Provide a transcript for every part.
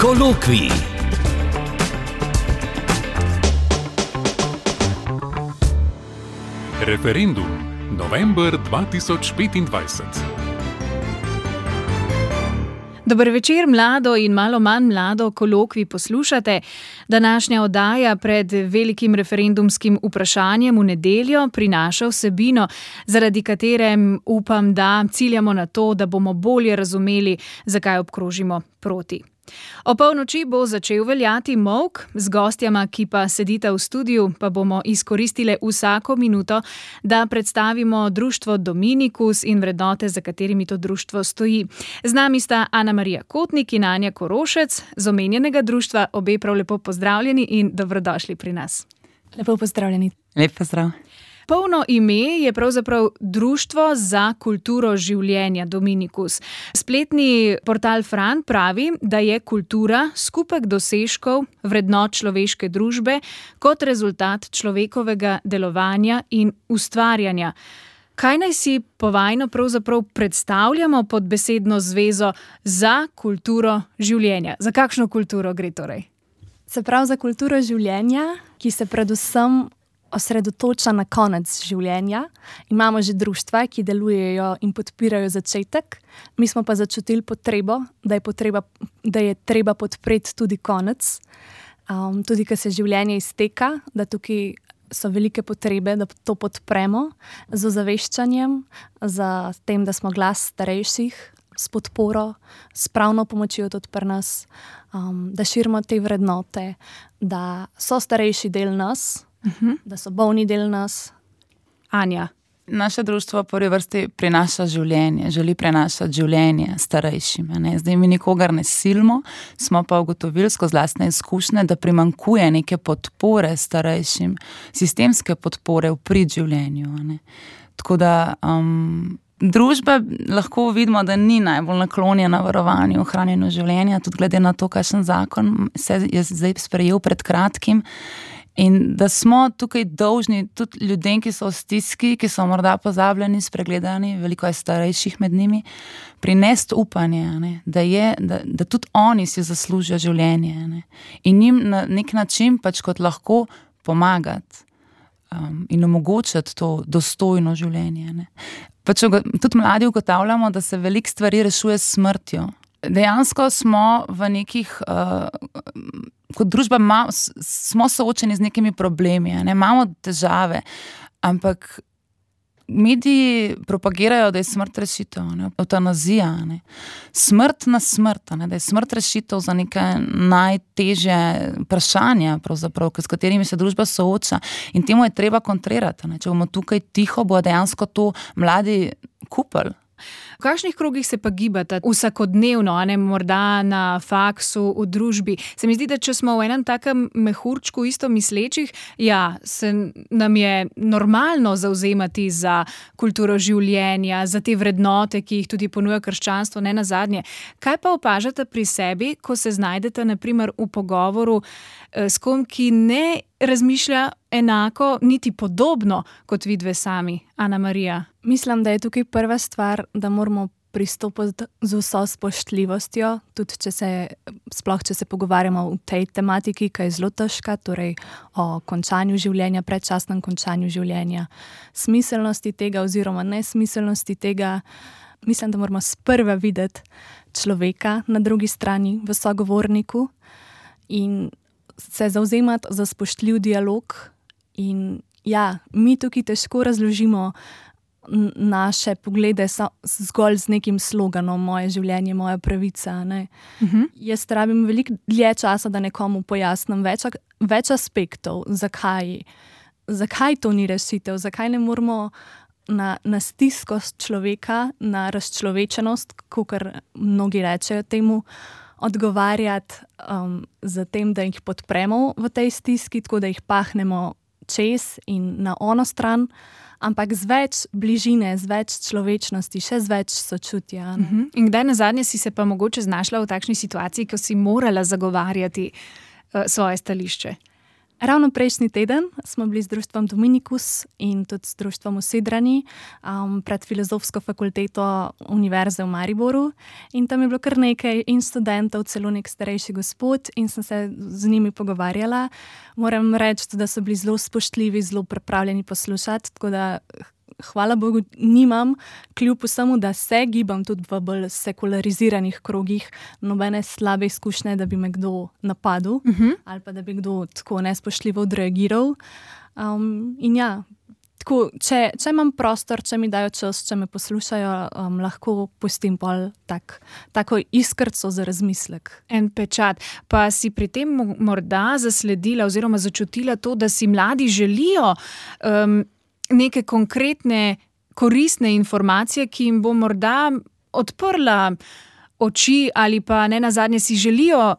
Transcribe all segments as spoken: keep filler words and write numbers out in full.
Kolokvij. Referendum. November dva tisoč petindvajset. Dober večer, mlado in malo manj mlado kolokvij poslušate. Današnja oddaja pred velikim referendumskim vprašanjem v nedeljo prinaša vsebino, zaradi katere upam, da ciljamo na to, da bomo bolje razumeli, zakaj obkrožimo proti. O polnoči bo začel veljati molk, z gostjama, ki pa sedita v studiu, pa bomo izkoristile vsako minuto, da predstavimo društvo Dominikus in vrednote, za katerimi to društvo stoji. Z nami sta Ana Marija Kotnik in Anja Korošec, z omenjenega društva. Obe prav lepo pozdravljeni in dobrodošli pri nas. Lepo pozdravljeni. Lep pozdrav. Polno ime je pravzaprav Društvo za kulturo življenja Dominikus. Spletni portal Fran pravi, da je kultura skupek dosežkov vrednot človeške družbe kot rezultat človekovega delovanja in ustvarjanja. Kaj naj si povajno pravzaprav predstavljamo pod besedno zvezo za kulturo življenja? Za kakšno kulturo gre torej? Se pravi za kulturo življenja, ki se predvsem osredotoča na konec življenja. Imamo že društva, ki delujejo in podpirajo začetek. Mi smo pa začutili potrebo, da je, potreba, da je treba podpreti tudi konec. Um, tudi, ko se življenje izteka, da tukaj so velike potrebe, da to podpremo z ozaveščanjem, z tem, da smo glas starejših, s podporo, s pravno pomočjo tudi pri nas, um, da širimo te vrednote, da so starejši del nas, Uh-huh. da so bolni del nas. Anja. Naše društvo v prvi vrsti prinaša življenje, želi prenašati življenje starejšim. Ne? Zdaj mi nikogar ne silimo, smo pa ugotovili skozi lastne izkušnje, da primanjkuje neke podpore starejšim, sistemske podpore v prid življenju. Ne? Tako da um, družba lahko vidimo, da ni najbolj naklonjena varovanju, ohranjenju življenja, tudi glede na to, kakšen zakon se je zdaj sprejel pred kratkim. In da smo tukaj dolžni tudi ljudem, ki so v stiski, ki so morda pozabljeni, spregledani, veliko je starejših med njimi, prinesti upanje, ne, da, je, da, da tudi oni si zaslužijo življenje. Ne, in njim na nek način pač kot lahko pomagati um, in omogočati to dostojno življenje. Ne. Pač tudi mladi ugotavljamo, da se veliko stvari rešuje s smrtjo. Dejansko smo v nekih, uh, kot družba ma, smo soočeni z nekimi problemi, ne? Imamo težave, ampak mediji propagirajo, da je smrt rešitev, ne? Eutanazija, ne? Smrt na smrt, ne? Da je smrt rešitev za neke najtežje vprašanja, pravzaprav, s katerimi se družba sooča, in temu je treba kontrirati. Ne? Če bomo tukaj tiho, bo dejansko to mladi kupili. V kakšnih krogih se pa gibate vsakodnevno, a ne morda na faksu, v družbi? Se mi zdi, da če smo v enem takem mehurčku isto mislečih, ja, se nam je normalno zavzemati za kulturo življenja, za te vrednote, ki jih tudi ponuja krščanstvo, ne nazadnje. Kaj pa opažate pri sebi, ko se znajdete na primer v pogovoru s kom, ki ne razmišlja enako, niti podobno kot vidve sami? Ana Marija. Mislim, da je tukaj prva stvar, da moramo pristopiti z vso spoštljivostjo, tudi če se, sploh če se pogovarjamo o tej tematiki, ki je zelo težka, torej o končanju življenja, predčasnem končanju življenja, smiselnosti tega oziroma nesmiselnosti tega. Mislim, da moramo sprva videti človeka na drugi strani v sogovorniku in se zavzemati za spoštljiv dialog. In ja, mi tukaj težko razložimo naše poglede zgolj z nekim sloganom moje življenje, moja pravica. Ne? Uh-huh. Jaz rabim veliko dlje časa, da nekomu pojasnim več, več aspektov, zakaj, zakaj to ni rešitev, zakaj ne moramo na, na stisko človeka, na razčlovečenost, kakor mnogi rečejo temu, odgovarjati um, za tem, da jih podpremo v tej stiski, tako da jih pahnemo čez in na ono stran, ampak z več bližine, z več človečnosti, še z več sočutja. Uh-huh. In kdaj nazadnje si se pa mogoče znašla v takšni situaciji, ko si morala zagovarjati uh, svoje stališče? Ravno prejšnji teden smo bili z društvom Dominikus in tudi z društvom v Sidrani um, pred Filozofsko fakulteto Univerze v Mariboru in tam je bilo kar nekaj in študentov, celo nek starejši gospod in sem se z njimi pogovarjala. Moram reči, da so bili zelo spoštljivi, zelo pripravljeni poslušati, tako da hvala Bogu nimam, kljub vsemu, da se gibam tudi v bolj sekulariziranih krogih, nobene slabe izkušnje, da bi me kdo napadel uh-huh. ali pa da bi kdo tako nespoštljivo odreagiral. Um, in ja, tako, če, če imam prostor, če mi dajo čas, če me poslušajo, um, lahko pustim pol tak, tako iskrco za razmislek. En pečat. Pa si pri tem morda zasledila oziroma začutila to, da si mladi želijo um, neke konkretne, koristne informacije, ki jim bo morda odprla oči ali pa ne nazadnje si želijo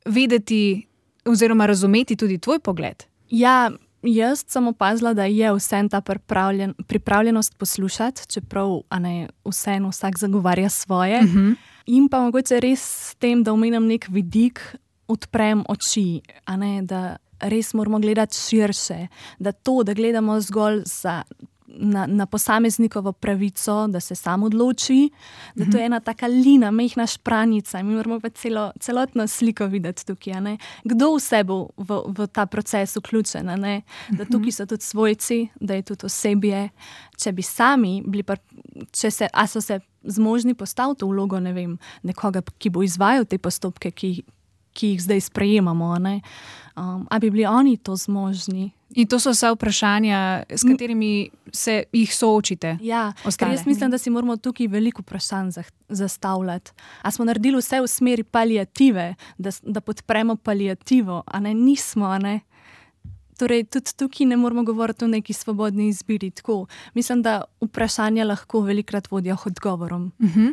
vedeti oziroma razumeti tudi tvoj pogled? Ja, jaz sem opazila, da je vsem ta pripravljen, pripravljenost poslušati, čeprav a ne, vsem vsak zagovarja svoje. Uh-huh. In pa mogoče res s tem, da omenim nek vidik, odprem oči, a ne, da res moramo gledati širše, da to, da gledamo zgolj za, na, na posameznikovo pravico, da se sam odloči, da to je ena taka lina, mehna špranica, mi moramo pa celo, celotno sliko videti tukaj, a ne? Kdo vse bo v, v ta proces vključen, a ne? Da tukaj so tudi svojci, da je tudi osebje. Če bi sami bili, pa, če se, a so se zmožni postaviti v vlogo, ne vem, nekoga, ki bo izvajal te postopke, ki ki jih zdaj sprejemamo, ne? Um, a bi bili oni to zmožni? In to so vsa vprašanja, s katerimi se jih soočite? Ja, ker jaz mislim, da si moramo tukaj veliko vprašanj zastavljati. A smo naredili vse v smeri paliative, da, da podpremo paliativo, a ne nismo, a ne? Torej, tudi tukaj ne moramo govoriti o neki svobodni izbiri. Tako. Mislim, da vprašanja lahko velikrat vodijo k odgovorom. Uh-huh.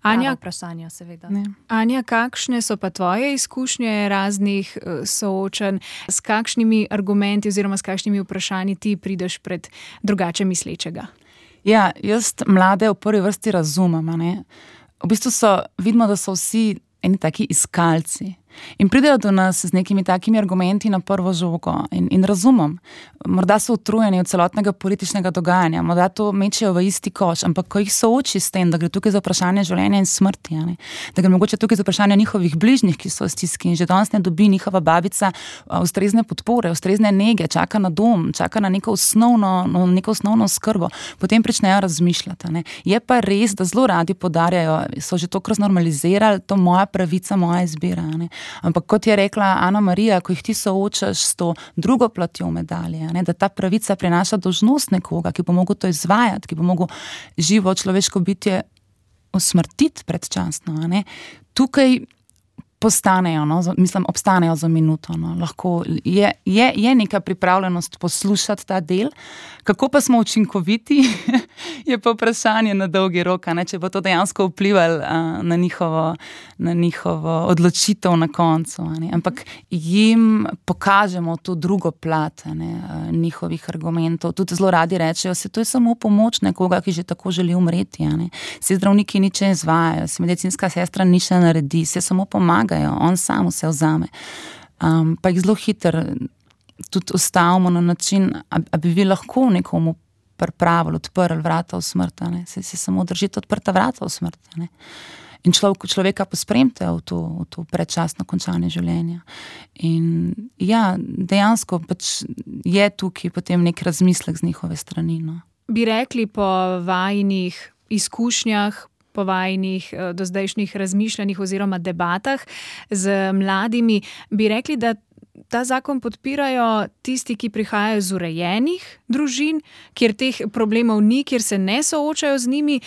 Anja, vprašanja, seveda. Ne. Anja, kakšne so pa tvoje izkušnje raznih uh, soočenj, s kakšnimi argumenti oziroma s kakšnimi vprašanji ti prideš pred drugače mislečega? Ja, jaz mlade v prvi vrsti razumem. Ne? V bistvu so, vidimo, da so vsi eni taki iskalci. In pridejo do nas z nekimi takimi argumenti na prvo žogo in, in razumem, morda so utrujeni od celotnega političnega dogajanja, morda to mečejo v isti koš, ampak ko jih sooči s tem, da gre tukaj za vprašanje življenja in smrti, ne? Da gre mogoče tukaj za vprašanje njihovih bližnjih, ki so v stiski in že danes ne dobi njihova babica ustrezne podpore, ustrezne nege, čaka na dom, čaka na neko osnovno, no, neko osnovno skrbo, potem pričnejo razmišljati. Ne? Je pa res, da zelo radi podarjajo, so že to kar normalizirali, to moja pravica, moja izbira. Ne? Ampak kot je rekla Ana Marija, ko jih ti soočaš s to drugo platjo medalje, ne, da ta pravica prinaša dolžnost nekoga, ki bo mogel to izvajati, ki bo mogel živo človeško bitje usmrtiti predčasno. Ne. Tukaj postanejo, no, mislim, obstanejo za minuto. No. Lahko je, je, je neka pripravljenost poslušati ta del. Kako pa smo učinkoviti, je pa vprašanje na dolgi rok, ne, če bo to dejansko vplivalo uh, na, njihovo, na njihovo odločitev na koncu. Ne. Ampak jim pokažemo to drugo plat ne, uh, njihovih argumentov. Tudi zelo radi rečejo, se to je samo pomoč nekoga, ki že tako želi umreti. Ne. Se zdravniki nič ne izvajajo, se medicinska sestra nič ne naredi, se samo pomaga. On sam vse vzame. Um, pa jih zelo hitro tudi ustavimo na način, a, a bi vi lahko nekomu pripravili, odprli vrata v smrt, ne? Se, se samo držite odprta vrata v smrt. Ne? In človek, človeka pospremite v to, v to predčasno končanje življenja. In ja, dejansko pač je tukaj potem nek razmislek z njihove strani. No? Bi rekli po vajinih izkušnjah, po vajinih dozdajšnjih razmišljanjih oziroma debatah z mladimi, bi rekli, da ta zakon podpirajo tisti, ki prihajajo iz urejenih družin, kjer teh problemov ni, kjer se ne soočajo z njimi,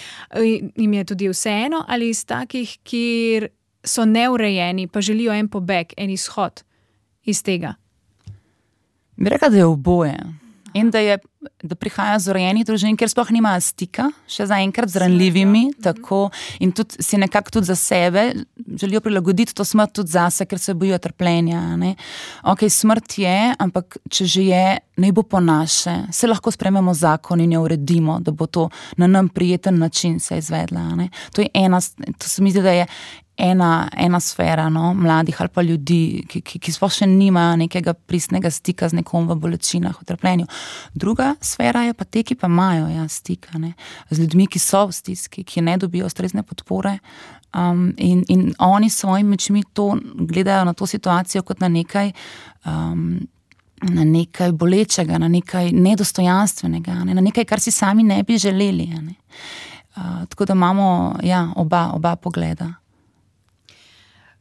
jim je tudi vseeno, ali iz takih, kjer so neurejeni, pa želijo en pobeg, en izhod iz tega? Bi rekla, da je oboje. In da, je, da prihaja z urejenih družin, ker sploh nimajo stika, še zaenkrat z ranljivimi, tako, in tudi si nekako tudi za sebe želijo prilagoditi to smrt tudi zase, ker se bojijo trpljenja. Ne? Ok, smrt je, ampak če že je, naj bo po naše. Se lahko sprememo zakon in jo uredimo, da bo to na nam prijeten način se izvedla. Ne? To je ena, to se mi zdi, da je ena, ena sfera, no, mladih ali pa ljudi, ki, ki, ki sploh še nimajo nekega pristnega stika z nekom v bolečinah, v trpljenju. Druga sfera je pa te, ki pa imajo ja, stika, ne, z ljudmi, ki so v stiski, ki ne dobijo ustrezne podpore. Um, in, in oni s svojimi očmi to gledajo na to situacijo kot na nekaj, um, na nekaj bolečega, na nekaj nedostojanstvenega, ne, na nekaj, kar si sami ne bi želeli. Ne. Uh, tako da imamo ja, oba, oba pogleda.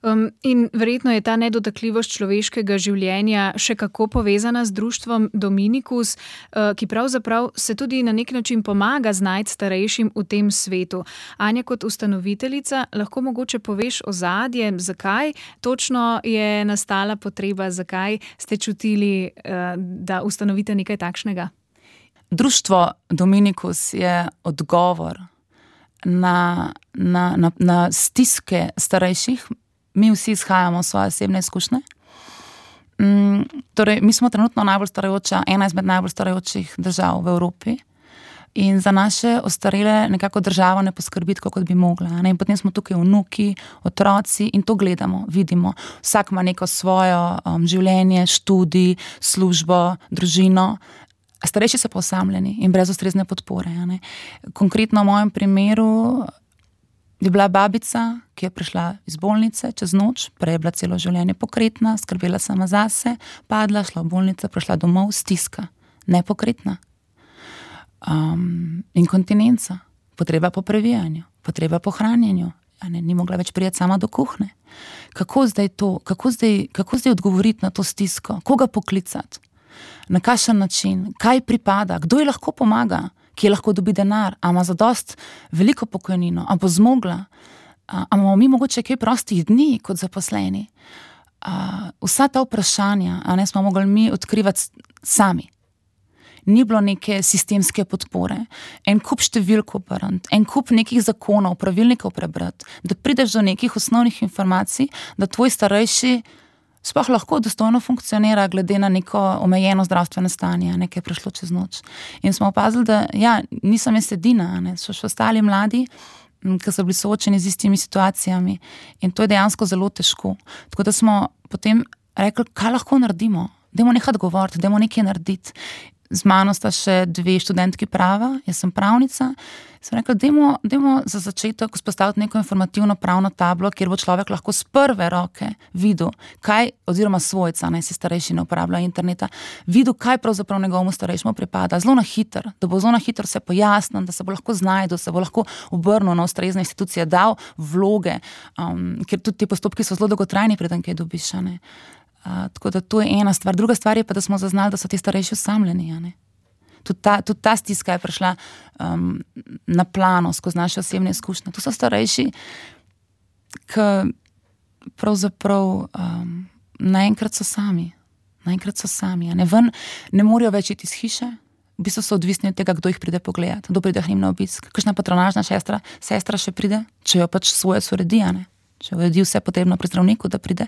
Um, in verjetno je ta nedotakljivost človeškega življenja še kako povezana z društvom Dominicus, uh, ki pravzaprav se tudi na nek način pomaga znajti starejšim v tem svetu. Anja, kot ustanoviteljica, lahko mogoče poveš ozadje, zakaj točno je nastala potreba, zakaj ste čutili, uh, da ustanovite nekaj takšnega? Društvo Dominicus je odgovor na, na, na, na stiske starejših. Mi vsi izhajamo svoje osebne izkušnje. Mm, torej, mi smo trenutno najbolj starajoča, ena izmed najbolj starajočih držav v Evropi in za naše ostarele nekako država ne poskrbi tako, kot bi mogla. Ne? In potem smo tukaj vnuki, otroci in to gledamo, vidimo. Vsak ima neko svojo um, življenje, študij, službo, družino. Starejši so pa osamljeni in brez ustrezne podpore. Ne? Konkretno v mojem primeru je bila babica, ki je prišla iz bolnice čez noč, prej je bila celo življenje pokretna, skrbela sama zase, padla, šla v bolnico, prišla domov, stiska, nepokretna. Um, inkontinenca, potreba po previjanju, potreba po hranjenju, ne, ni mogla več prijeti sama do kuhne. Kako zdaj to, kako zdaj, kako zdaj odgovoriti na to stisko, koga poklicati, na kakšen način, kaj pripada, kdo ji lahko pomaga, ki lahko dobi denar, a ima zadost veliko pokojnino, a bo zmogla, a, a imamo mi mogoče kaj prostih dni kot zaposleni. A, vsa ta vprašanja, a ne smo mogli mi odkrivati sami. Ni bilo neke sistemske podpore, en kup številk obrniti, en kup nekih zakonov, pravilnikov prebrati, da prideš do nekih osnovnih informacij, da tvoj starejši sploh lahko dostojno funkcionira glede na neko omejeno zdravstveno stanje, nekaj je prišlo čez noč. In smo opazili, da ja, nisem jaz edina, ne, so še ostali mladi, ki so bili soočeni z istimi situacijami in to je dejansko zelo težko. Tako da smo potem rekli, kaj lahko naredimo, dajmo nekaj govoriti, dajmo nekaj narediti. Z mano sta še dve študentki prava, jaz sem pravnica, sem rekla, dajmo, dajmo za začetek vzpostaviti neko informativno pravno tablo, kjer bo človek lahko z prve roke videl, kaj, oziroma svojca, naj se starejši ne uporablja interneta, videl, kaj pravzaprav njegovemu starejšemu pripada, zelo na hiter, da bo zelo na hiter se pojasnil, da se bo lahko znajdel, se bo lahko obrnil na ustrezne institucije, dal vloge, um, ker tudi ti postopki so zelo dolgotrajni, preden kaj dobiš, ne. Uh, tako da to je ena stvar. Druga stvar je pa, da smo zaznali, da so ti starejši osamljeni. Ja, tudi, ta, tudi ta stiska je prišla um, na plano skozi naše osebne izkušnje. To so starejši, ki pravzaprav um, naenkrat so sami. Naenkrat so sami. Ja, ne, ven, ne morajo več iti iz hiše, v bistvu so odvisni od tega, kdo jih pride pogledati, kdo pride k njim na obisk. Kakšna patronažna sestra, sestra še pride, če jo pač svoje soredi, ne. Če uredi vse potrebno pri zdravniku, da pride.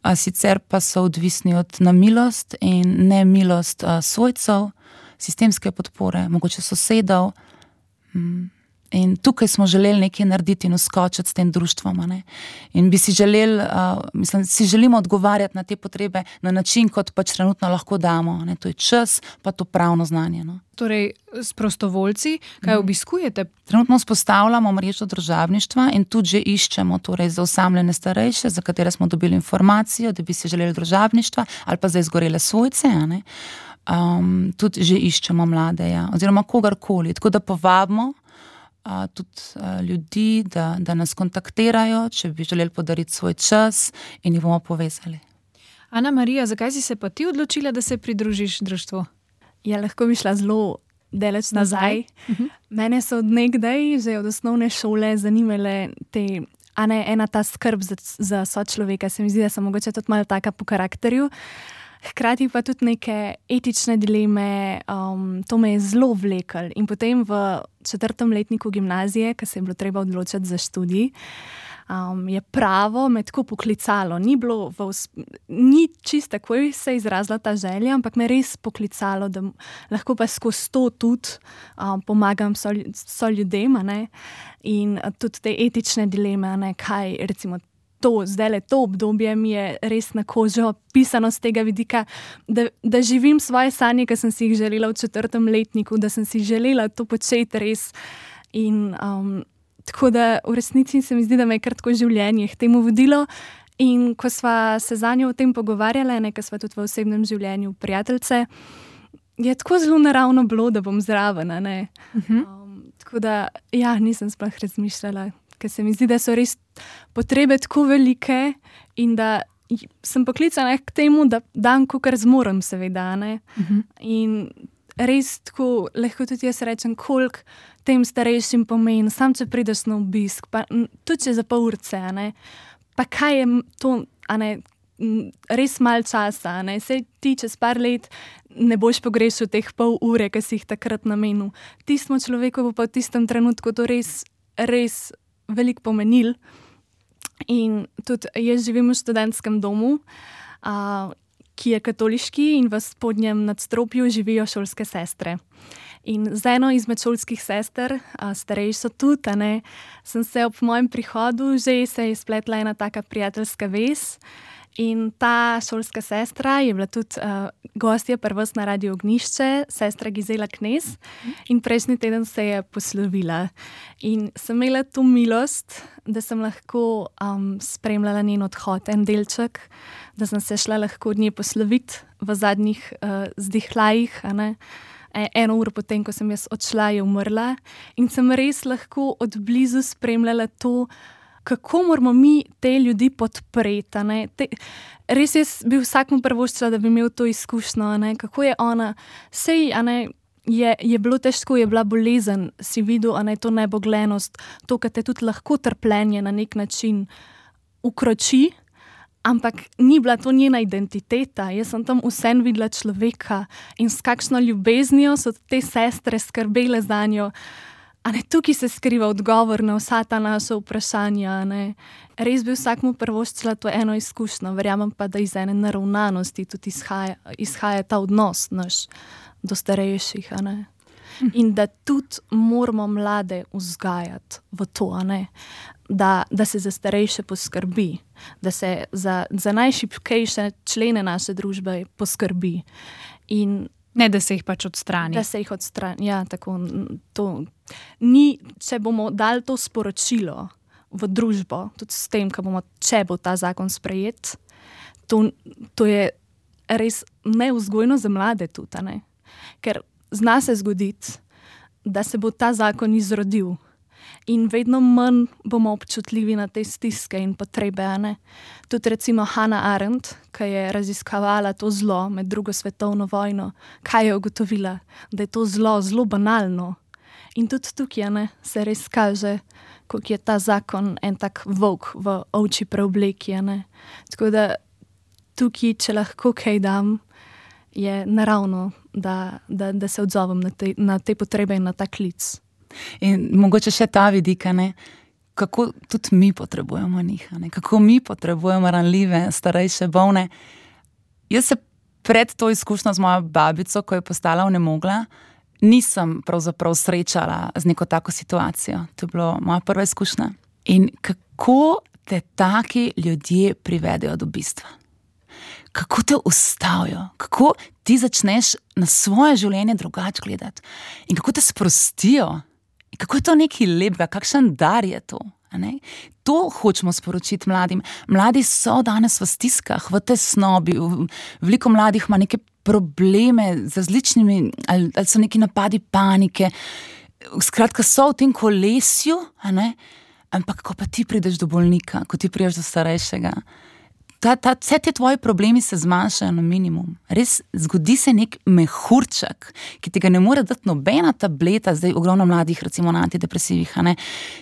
A sicer pa so odvisni od namilost in nemilost a, svojcev, sistemske podpore, mogoče sosedov. In tukaj smo želeli nekaj narediti in uskočiti s tem društvom. Ne? In bi si želeli, uh, mislim, si želimo odgovarjati na te potrebe na način, kot pač trenutno lahko damo. Ne? To je čas, pa to pravno znanje. No? Torej, s prostovoljci, kaj obiskujete? Trenutno vzpostavljamo mrežo družabništva in tudi že iščemo torej, za osamljene starejše, za katere smo dobili informacijo, da bi si želeli družabništva ali pa za izgorele svojce. Ne? Um, tudi že iščemo mlade, ja? Oziroma kogarkoli. Tako da povabimo Uh, tudi uh, ljudi, da, da nas kontaktirajo, če bi želeli podariti svoj čas in jih bomo povezali. Ana Marija, zakaj si se pa ti odločila, da se pridružiš društvu? Ja, lahko bi šla zelo daleč nazaj. Uh-huh. Mene so od nekdaj, že od osnovne šole, zanimale te, a ne ena ta skrb za, za sočloveka. Se mi zdi, da sem mogoče tudi malo taka po karakterju. Hkrati pa tudi neke etične dileme, um, to me je zelo vlekel. In potem v četrtem letniku gimnazije, ko se je bilo treba odločiti za študij, um, je pravo me tako poklicalo. Ni bilo, v, ni čisto takoj se izrazila ta želja, ampak me res poklicalo, da lahko pa skozi to tudi um, pomagam so, so ljudem, a ne, in tudi te etične dileme, a ne, kaj recimo to, zdaj le to obdobje mi je res na kožo pisano z tega vidika, da, da živim svoje sanje, ki sem si jih želela v četrtem letniku, da sem si želela to početi res in um, tako da v resnici se mi zdi, da me je kar tako življenje k temu vodilo in ko sva se za njo o tem pogovarjala, ne, ko sva tudi v osebnem življenju prijateljice, je tako zelo naravno bilo, da bom zraven, ne. Uh-huh. Um, tako da, ja, nisem sploh razmišljala, ker se mi zdi, da so res potrebe tako velike in da sem poklicana k temu, da dam, kakor zmorem, seveda, ne. Uh-huh. In res tako, lahko tudi jaz rečem, koliko tem starejšim pomeni, sam če prideš na obisk, pa tudi če za pol urce, ne, pa kaj je to, a ne, res malo časa, ne, sej ti čez par let ne boš pogrešil teh pol ure, ki si jih takrat namenil. Tistemu človeku bo pa v tistem trenutku to res, res veliko pomenil. In tudi jaz živim v študentskem domu, a, ki je katoliški in v spodnjem nadstropju živijo šolske sestre. In z eno izmed šolskih sester, a, starejšo tudi, a ne, sem se ob mojem prihodu že se je spletla ena taka prijateljska vez. In ta šolska sestra je bila tudi uh, gostja pri vas na Radiu Ognjišče, sestra Gizela Knez, in prejšnji teden se je poslovila. In sem imela to milost, da sem lahko um, spremljala njen odhod, en delček, da sem se šla lahko od nje posloviti v zadnjih uh, zdihljajih, a ne. Eno uro potem, ko sem jaz odšla, je umrla in sem res lahko od blizu spremljala to, kako moramo mi te ljudi podpreti. Ne? Te, res jaz bi vsakmu prvoščila, da bi imel to izkušnjo, ne? Kako je ona, sej, a ne, je, je bilo težko, je bila bolezen, si videl, a ne, to neboglenost, to, kar te tudi lahko trpljenje na nek način ukroči, ampak ni bila to njena identiteta. Jaz sem tam vseeno videla človeka in s kakšno ljubeznijo so te sestre skrbele za njo. A ne, tukaj se skriva odgovor na vsa ta naša vprašanja. Ne. Res bi vsakmu prvoščila to eno izkušnjo, verjamem pa, da iz ene naravnanosti tudi izhaja, izhaja ta odnos naš do starejših. A ne. In da tudi moramo mlade vzgajati v to, a ne. Da, da se za starejše poskrbi, da se za, za najšibkejše člene naše družbe poskrbi. In ne, da se jih pač odstrani. Da se jih odstrani, ja, tako. To ni, če bomo dali to sporočilo v družbo, tudi s tem, ko bomo, če bo ta zakon sprejet, to, to je res nevzgojno za mlade tudi, ne? Ker zna se zgoditi, da se bo ta zakon izrodil in vedno manj bomo občutljivi na te stiske in potrebe, ne? Tudi recimo Hannah Arendt, ki je raziskavala to zlo med drugo svetovno vojno, kaj je ugotovila? Da je to zlo zelo banalno. In tudi tukaj, ne, se res kaže, kako je ta zakon en tak volk v ovčji preobleki, ne. Tako da tukaj, če lahko kaj dam, je naravno, da, da, da se odzovem na te, na te potrebe in na ta klic. In mogoče še ta vidika, ne, kako tudi mi potrebujemo njih, ne, kako mi potrebujemo ranljive, starejše, bolne. Jaz se pred to izkušnjo z mojo babico, ko je postala onemogla, nisem pravzaprav srečala z neko tako situacijo. To je bilo moja prva izkušnja. In kako te taki ljudje privedejo do bistva? Kako te ustavijo? Kako ti začneš na svoje življenje drugače gledati? In kako te sprostijo? In kako je to nekaj lepega? Kakšen dar je to? A ne? To hočemo sporočiti mladim. Mladi so danes v stiskah, v tesnobi. Veliko mladih ima neke probleme z različnimi, ali, ali so neki napadi panike. Skratka, so v tem kolesju, a ne? Ampak ko pa ti prideš do bolnika, ko ti prideš do starejšega, ta, ta, vse te tvoji problemi se zmanjšajo na minimum. Res zgodi se nek mehurček, ki ti ga ne more dati nobena tableta, zdaj ogromno mladih, recimo na antidepresivih, a ne?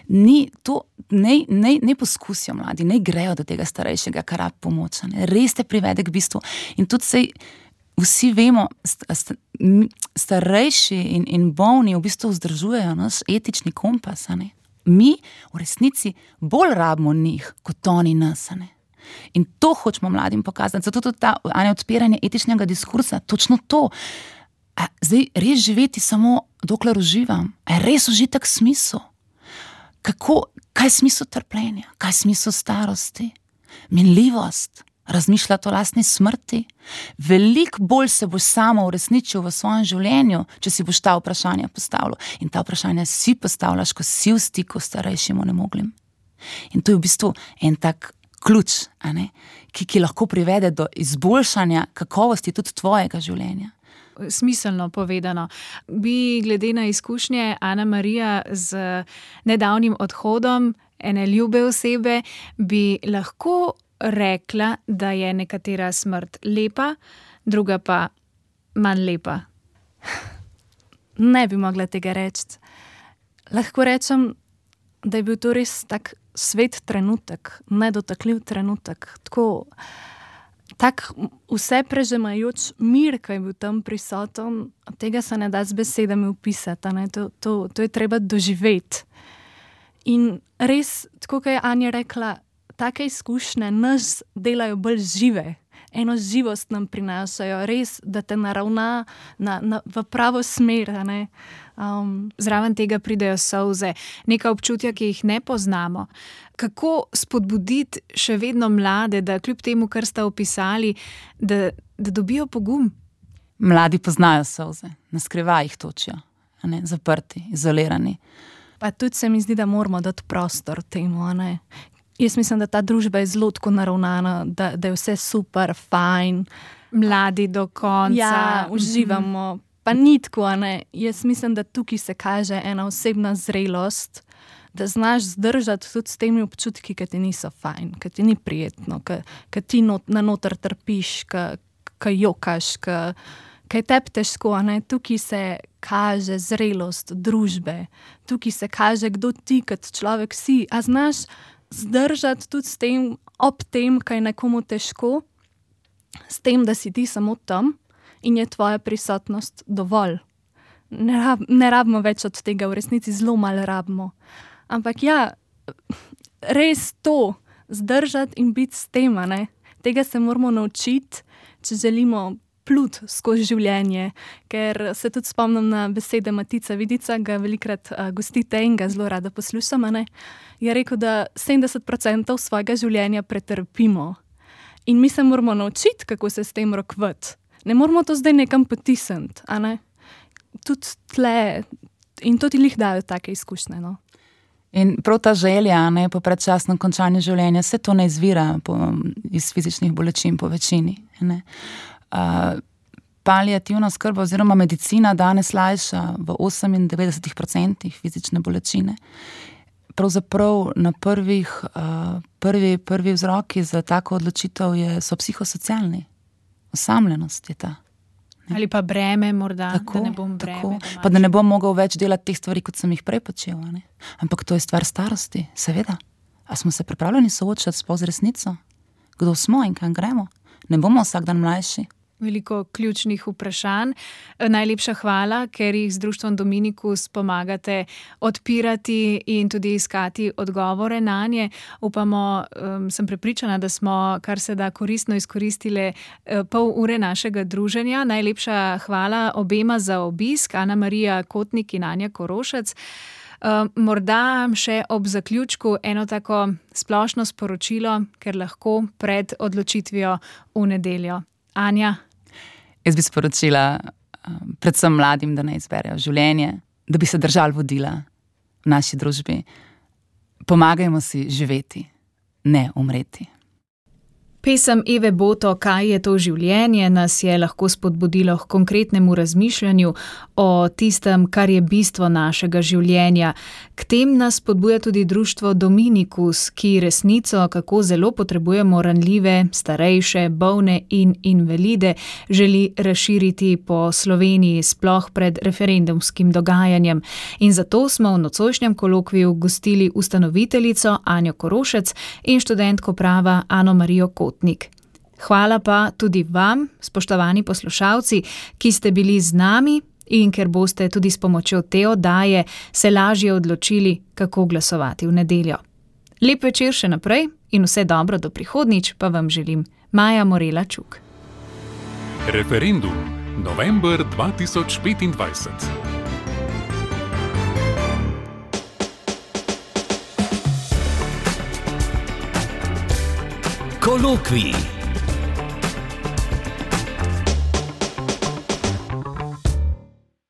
Ni to, ne, ne, ne poskusijo mladi, ne grejo do tega starejšega, kar rab pomoč, a ne? Res te privede k bistvu. In tudi sej, vsi vemo, starejši in, in bolni v bistvu vzdržujejo naš etični kompas, a ne? mi v resnici bolj rabimo njih, kot oni nas, ne. In to hočemo mladim pokazati. Zato tudi ta Anja, odpiranje etičnega diskursa, točno to. A zdaj res živeti samo dokler uživam? A je res užitek smisel? Kako, kaj je smisel trpljenja? Kaj je smisel starosti? Minljivost? Razmišljati o lastni smrti? Veliko bolj se boš samo uresničil v svojem življenju, če si boš ta vprašanja postavljal. In ta vprašanja si postavljaš, ko si v stiku s starejšim onemoglim. In to je v bistvu en tak ključ, a ne? Ki, ki lahko privede do izboljšanja kakovosti tudi tvojega življenja. Smiselno povedano. Bi glede na izkušnje Ana Marija z nedavnim odhodom ene ljube osebe, bi lahko rekla, da je nekatera smrt lepa, druga pa manj lepa? Ne bi mogla tega reči. Lahko rečem, da je bil to res tak svet trenutek, nedotakljiv trenutek. Tako, tak vse prežemajoč mir, ki je bil tam prisoten, tega se ne da z besedami opisati, ne? To, to, to je treba doživeti. In res, tako kot je Anja rekla, take izkušnje nas delajo bolj žive, eno živost nam prinašajo, res, da te naravna na, na, v pravo smer. Ne? Um, Zraven tega pridejo solze, neka občutja, ki jih ne poznamo. Kako spodbuditi še vedno mlade, da kljub temu, kar sta opisali, da, da dobijo pogum? Mladi poznajo solze, na skrivaj jih točijo, a ne? Zaprti, izolirani. Pa tudi se mi zdi, da moramo dati prostor temu, a ne? Jaz mislim, da ta družba je zelo tako naravnana, da, da je vse super, fajn. Mladi do konca. Ja, uživamo. Pa ni tako, a ne. Jaz mislim, da tukaj se kaže ena osebna zrelost, da znaš zdržati tudi s temi občutki, ki ti niso fajn, ki ti ni prijetno, ki, ki ti not, na noter trpiš, ki, ki jokaš, ki, ki je tebi težko, a ne. Tukaj se kaže zrelost družbe. Tukaj se kaže, kdo ti kot človek si. A znaš zdržati tudi s tem, ob tem, kaj je nekomu težko, s tem, da si ti samo tam in je tvoja prisotnost dovolj. Ne, rab, ne rabimo več od tega, v resnici zelo malo rabimo. Ampak ja, res to, zdržati in biti s tem, ne? Tega se moramo naučiti, če želimo plut skozi življenje, ker se tudi spomnim na besede Matica Vidica, ga velikrat uh, gostite in ga zelo rada poslušam, ne? Je rekel, da sedemdeset procentov svojega življenja pretrpimo. In mi se moramo naučiti, kako se s tem rokvati. Ne moramo to zdaj nekam potisniti, a ne? Tudi tle, in to ti lih dajo take izkušnje, no. In prav ta želja, ne, po predčasnem končanju življenja, se to ne izvira po, iz fizičnih bolečin po večini, ne. Uh, paliativna oskrba oziroma medicina danes lajša v osemindevetdeset procentih fizične bolečine. Pravzaprav na prvih, uh, prvi, prvi vzroki za tako odločitev je, so psihosocialni. Osamljenost je ta. Ne? Ali pa breme morda, tako, da ne bom breme. Pa da ne bom mogel več delati teh stvari, kot sem jih prej počel. Ne? Ampak to je stvar starosti, seveda. A smo se pripravljeni soočati sploh z resnico? Kdo smo in kam gremo? Ne bomo vsak dan mlajši. Veliko ključnih vprašanj. Najlepša hvala, ker jih z društvom Dominikus pomagate odpirati in tudi iskati odgovore nanje. Upamo, um, sem prepričana, da smo kar se da koristno izkoristile uh, pol ure našega druženja. Najlepša hvala obema za obisk, Ana Marija Kotnik in Anja Korošec. Uh, morda še ob zaključku eno tako splošno sporočilo, ker lahko pred odločitvijo v nedeljo. Anja? Jaz bi sporočila um, predvsem mladim, da ne izberejo življenje, da bi se držali vodila v naši družbi. Pomagajmo si živeti, ne umreti. Pesem Eve Boto, Kaj je to življenje, nas je lahko spodbudilo k konkretnemu razmišljanju o tistem, kar je bistvo našega življenja. K tem nas spodbuja tudi društvo Dominikus, ki resnico, kako zelo potrebujemo ranljive, starejše, bolne in invalide, želi razširiti po Sloveniji, sploh pred referendumskim dogajanjem. In zato smo v nocojšnjem kolokviju gostili ustanoviteljico Anjo Korošec in študentko prava Ano Marijo Kotnik. Hvala pa tudi vam, spoštovani poslušalci, ki ste bili z nami. in ker boste tudi s pomočjo te oddaje se lažje odločili, kako glasovati v nedeljo. Lep večer še naprej in vse dobro do prihodnjič pa vam želim Maja Morela Čuk. Referendum november dva tisoč petindvajset. Kolokvij.